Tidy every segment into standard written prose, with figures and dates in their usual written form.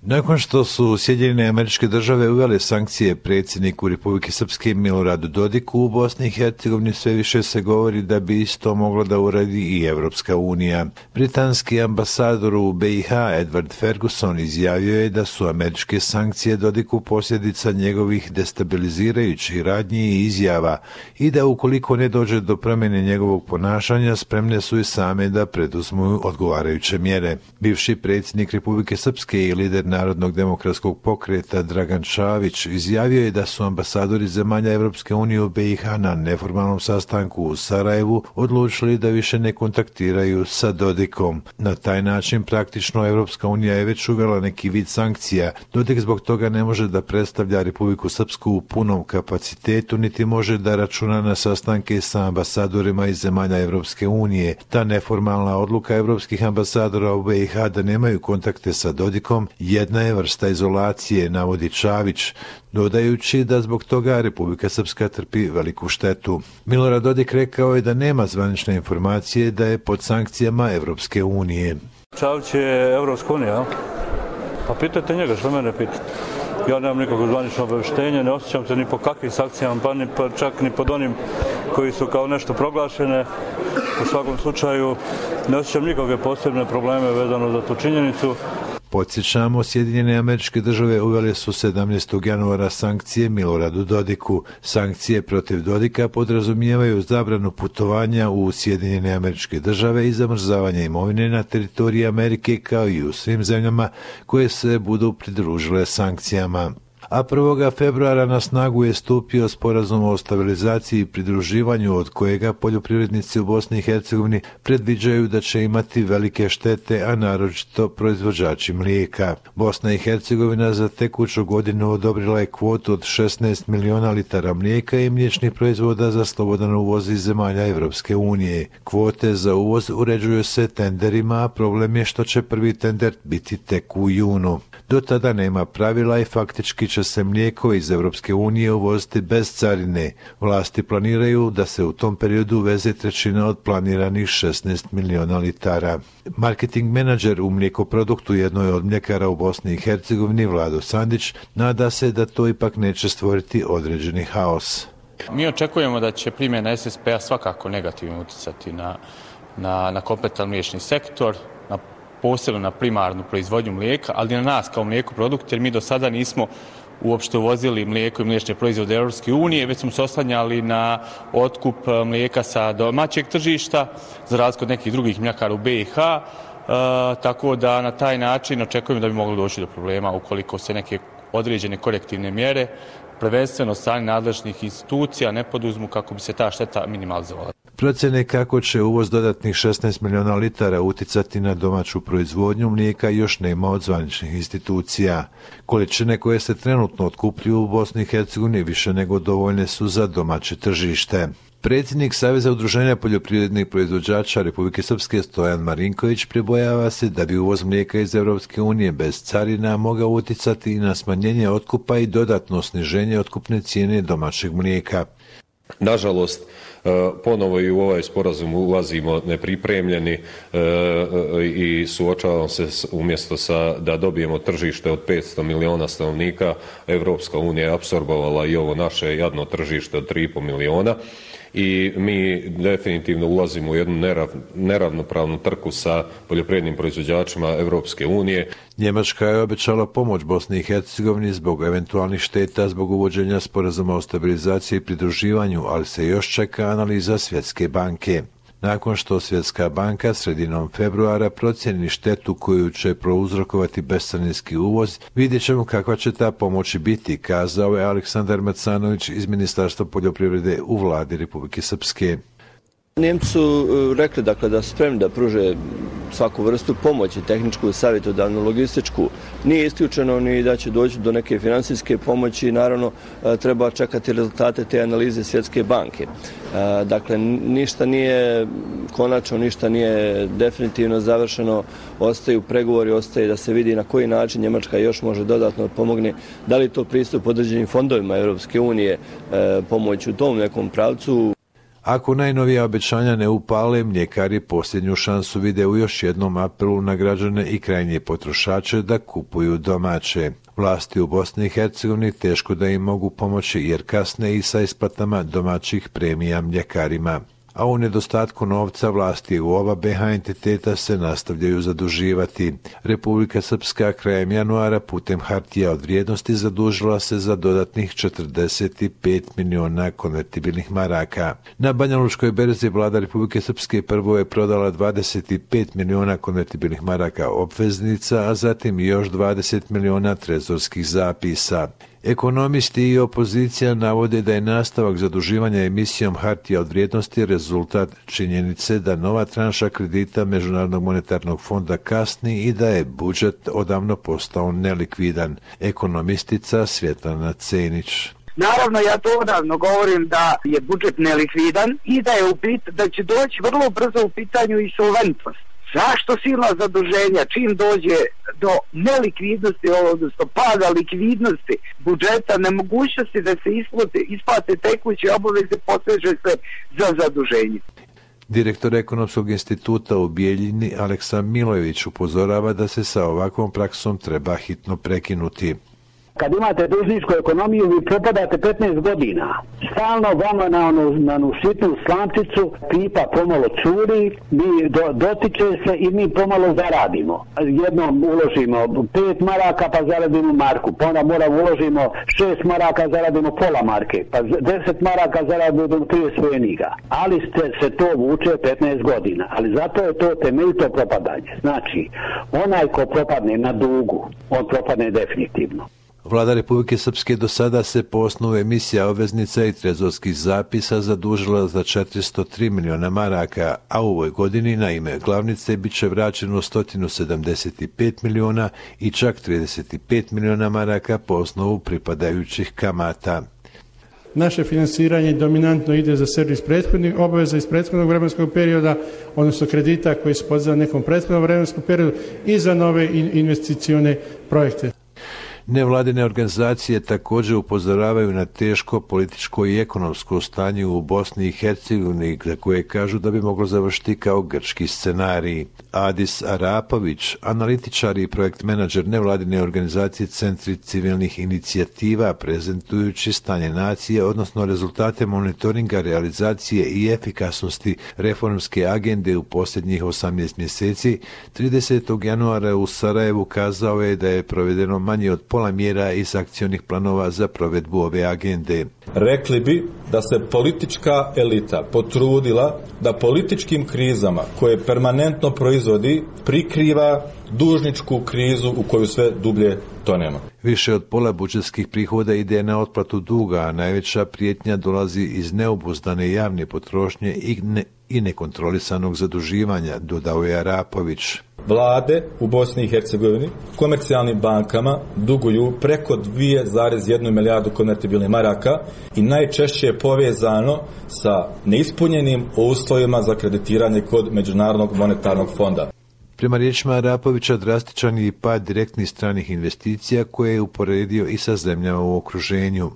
Nakon što su Sjedinjene Američke Države uvele sankcije predsjedniku Republike Srpske Miloradu Dodiku, u Bosni i Hercegovini sve više se govori da bi isto mogla da uradi i Evropska unija. Britanski ambasador u BiH Edward Ferguson izjavio je da su američke sankcije Dodiku posljedica njegovih destabilizirajućih radnji i izjava i da ukoliko ne dođe do promjene njegovog ponašanja, spremne su i same da preduzmu odgovarajuće mjere. Bivši predsjednik Republike Srpske i lider Narodnog demokratskog pokreta Dragan Čavić izjavio je da su ambasadori zemalja Evropske unije u BiH na neformalnom sastanku u Sarajevu odlučili da više ne kontaktiraju sa Dodikom. Na taj način praktično Evropska unija je već uvela neki vid sankcija. Dodik zbog toga ne može da predstavlja Republiku Srpsku u punom kapacitetu, niti može da računa na sastanke sa ambasadorima iz zemalja Evropske unije. Ta neformalna odluka evropskih ambasadora u BiH da nemaju kontakte sa Dodikom jedna je vrsta izolacije, navodi Čavić, dodajući da zbog toga Republika Srpska trpi veliku štetu. Milorad Dodik rekao je da nema zvanične informacije da je pod sankcijama Evropske unije. Čavić je Evropska unija, pa pitajte njega, što mene pitate. Ja nemam nikakvo zvanično obavještenje, ne osjećam se ni po kakvim sankcijama, pa čak ni pod onim koji su kao nešto proglašene. U svakom slučaju ne osjećam nikakve posebne probleme vezano za tu činjenicu. Podsjećamo, Sjedinjene Američke Države uvele su 17. januara sankcije Miloradu Dodiku. Sankcije protiv Dodika podrazumijevaju zabranu putovanja u Sjedinjene Američke Države i zamrzavanje imovine na teritoriji Amerike kao i u svim zemljama koje se budu pridružile sankcijama. A 1. februara na snagu je stupio sporazum o stabilizaciji i pridruživanju od kojega poljoprivrednici u Bosni i Hercegovini predviđaju da će imati velike štete, a naročito proizvođači mlijeka. Bosna i Hercegovina za tekuću godinu odobrila je kvotu od 16 miliona litara mlijeka i mliječnih proizvoda za slobodan uvoz iz zemalja Evropske unije. Kvote za uvoz uređuju se tenderima, a problem je što će prvi tender biti tek u junu. Do tada nema pravila i faktički će se mlijeko iz Evropske unije uvoziti bez carine. Vlasti planiraju da se u tom periodu uveze trećina od planiranih 16 miliona litara. Marketing menadžer u mlijekoproduktu jednoj od mljekara u Bosni i Hercegovini, Vlado Sandić, nada se da to ipak neće stvoriti određeni haos. Mi očekujemo da će primjena SSP-a svakako negativno utjecati na kompletan mliječni sektor, posebno na primarnu proizvodnju mlijeka, ali i na nas kao mlijekoprodukt, jer mi do sada nismo uopšte uvozili mlijeko i mliječne proizvode Europske unije, već smo se oslanjali na otkup mlijeka sa domaćeg tržišta, za razliku od nekih drugih mljekara u BiH, tako da na taj način očekujemo da bi moglo doći do problema ukoliko se neke određene korektivne mjere, prvenstveno od strane nadležnih institucija, ne poduzmu kako bi se ta šteta minimalizovala. Procjene kako će uvoz dodatnih 16 miliona litara uticati na domaću proizvodnju mlijeka još nema od zvaničnih institucija. Količine koje se trenutno otkupljuju u Bosni i Hercegovini više nego dovoljne su za domaće tržište. Predsjednik Saveza udruženja poljoprivrednih proizvođača Republike Srpske Stojan Marinković pribojava se da bi uvoz mlijeka iz Evropske unije bez carina mogao utjecati i na smanjenje otkupa i dodatno sniženje otkupne cijene domaćeg mlijeka. Nažalost, ponovo i u ovaj sporazum ulazimo nepripremljeni i suočavamo se umjesto da dobijemo tržište od 500 miliona stanovnika, Evropska unija je apsorbovala i ovo naše jadno tržište od 3,5 miliona. I mi definitivno ulazimo u jednu neravnopravnu trku sa poljoprivrednim proizvođačima Evropske unije. Njemačka je obećala pomoć Bosni i Hercegovini zbog eventualnih šteta zbog uvođenja sporazuma o stabilizaciji i pridruživanju, ali se još čeka analiza Svjetske banke. Nakon što Svjetska banka sredinom februara procjeni štetu koju će prouzrokovati bescarinski uvoz, vidjet ćemo kakva će ta pomoć biti, kazao je Aleksandar Macanović iz Ministarstva poljoprivrede u vladi Republike Srpske. Njemci su rekli da su spremni da pruže svaku vrstu pomoći, tehničku, savjetodavnu, logističku. Nije isključeno ni da će doći do neke financijske pomoći, naravno treba čekati rezultate te analize Svjetske banke. Dakle, ništa nije konačno, ništa nije definitivno završeno, ostaju pregovori, ostaje da se vidi na koji način Njemačka još može dodatno pomogne, da li to pristup određenim fondovima Europske unije, pomoć u tom nekom pravcu. Ako najnovija obećanja ne upale, mljekari posljednju šansu vide u još jednom apelu na građane i krajnje potrošače da kupuju domaće. Vlasti u Bosni i Hercegovini teško da im mogu pomoći jer kasne i sa isplatama domaćih premija mljekarima. A u nedostatku novca vlasti u oba BiH entiteta se nastavljaju zaduživati. Republika Srpska krajem januara putem hartija od vrijednosti zadužila se za dodatnih 45 miliona konvertibilnih maraka. Na Banjalučkoj berzi vlada Republike Srpske prvo je prodala 25 miliona konvertibilnih maraka obveznica, a zatim još 20 miliona trezorskih zapisa. Ekonomisti i opozicija navode da je nastavak zaduživanja emisijom hartija od vrijednosti rezultat činjenice da nova tranša kredita Međunarodnog monetarnog fonda kasni i da je budžet odavno postao nelikvidan. Ekonomistica Svjetlana Cenić. Naravno, ja to odavno govorim da je budžet nelikvidan i da da će doći vrlo brzo u pitanju insolventnost. Zašto silna zaduženja čim dođe do nelikvidnosti, odnosno pada likvidnosti budžeta, nemogućnosti da se isplate tekuće obaveze, poseže se za zaduženje. Direktor Ekonomskog instituta u Bijeljini Aleksa Milojević upozorava da se sa ovakvom praksom treba hitno prekinuti. Kad imate dužničku ekonomiju, vi propadate 15 godina. Stalno vama na onu sitnu slamčicu pipa pomalo curi, mi dotiče se i mi pomalo zaradimo. Jednom uložimo 5 maraka pa zaradimo marku, pa onda uložimo 6 maraka, zaradimo pola marke, pa 10 maraka zaradimo 30 pfeniga. Ali se to vuče 15 godina, ali zato je to temeljito propadanje. Znači, onaj ko propadne na dugu, on propadne definitivno. Vlada Republike Srpske do sada se po osnovu emisija obveznica i trezorskih zapisa zadužila za 403 miliona maraka, a u ovoj godini na ime glavnice bit će vraćeno 175 miliona i čak 35 miliona maraka po osnovu pripadajućih kamata. Naše finansiranje dominantno ide za servis prethodnih obaveza iz prethodnog vremenskog perioda, odnosno kredita koji su podizali nekom prethodnom vremenskom periodu i za nove investicione projekte. Nevladine organizacije također upozoravaju na teško političko i ekonomsko stanje u Bosni i Hercegovini, za koje kažu da bi moglo završiti kao grčki scenarij. Adis Arapović, analitičar i projekt menadžer nevladine organizacije Centri civilnih inicijativa, prezentujući stanje nacije, odnosno rezultate monitoringa realizacije i efikasnosti reformske agende u posljednjih 18 mjeseci, 30. januara u Sarajevu kazao je da je provedeno manje od pola mjera iz akcionih planova za provedbu ove agende. Rekli bi da se politička elita potrudila da političkim krizama koje permanentno proizvodi prikriva dužničku krizu u koju sve dublje tonemo. Više od pola budžetskih prihoda ide na otplatu duga, a najveća prijetnja dolazi iz neobuzdane javne potrošnje i nekontrolisanog zaduživanja, dodao je Arapović. Vlade u Bosni i Hercegovini komercijalnim bankama duguju preko 2,1 milijardu konvertibilnih maraka i najčešće je povezano sa neispunjenim uslovima za kreditiranje kod Međunarodnog monetarnog fonda. Prema riječima Arapovića, drastičan je i pad direktnih stranih investicija koje je uporedio i sa zemljama u okruženju.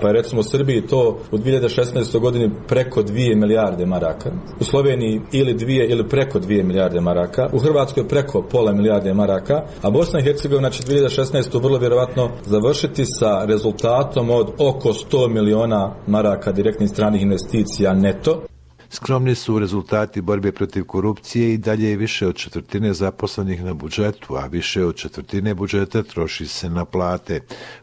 Pa je recimo u Srbiji to u 2016. godini preko 2 milijarde maraka, u Sloveniji ili 2 ili preko 2 milijarde maraka, u Hrvatskoj preko pola milijarde maraka, a Bosna i Hercegovina će 2016. vrlo vjerovatno završiti sa rezultatom od oko 100 miliona maraka direktnih stranih investicija neto. Skromni su rezultati borbe protiv korupcije i dalje je više od 1/4 zaposlenih na budžetu, a više od 1/4 budžeta troši se na plate.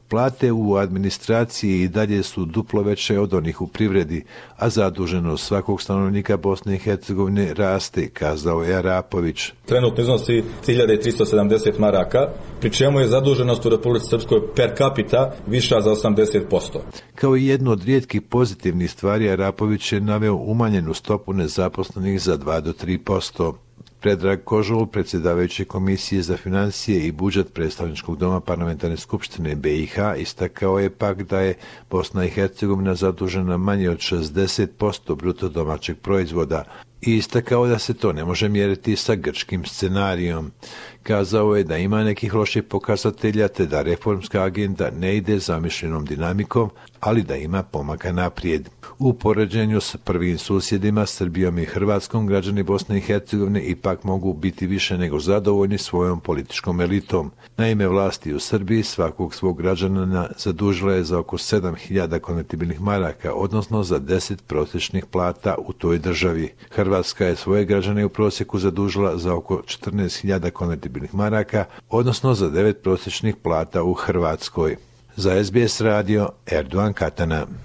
Plate u administraciji i dalje su duplo veće od onih u privredi, a zaduženost svakog stanovnika Bosne i Hercegovine raste, kazao je Arapović. Trenutno iznosi 1370 maraka, pri čemu je zaduženost u Republici Srpskoj per capita viša za 80%. Kao i jednu od rijetkih pozitivnih stvari, Arapović je naveo umanjenu stopu nezaposlenih za 2 do 3%. Predrag Kožul, predsjedavajući Komisije za financije i budžet Predstavničkog doma Parlamentarne skupštine BiH, istakao je pak da je Bosna i Hercegovina zadužena manje od 60% bruto domaćeg proizvoda i istakao da se to ne može mjeriti sa grčkim scenarijom. Kazao je da ima nekih loših pokazatelja te da reformska agenda ne ide zamišljenom dinamikom, ali da ima pomaka naprijed. U poređenju s prvim susjedima, Srbijom i Hrvatskom, građani Bosne i Hercegovine ipak mogu biti više nego zadovoljni svojom političkom elitom. Naime, vlasti u Srbiji svakog svog građanina zadužila je za oko 7.000 konvertibilnih maraka, odnosno za 10 prosječnih plata u toj državi. Hrvatska je svoje građane u prosjeku zadužila za oko 14.000 konvertibilnih maraka, odnosno za 9 prosječnih plata u Hrvatskoj. Za SBS radio, Erdogan Katana.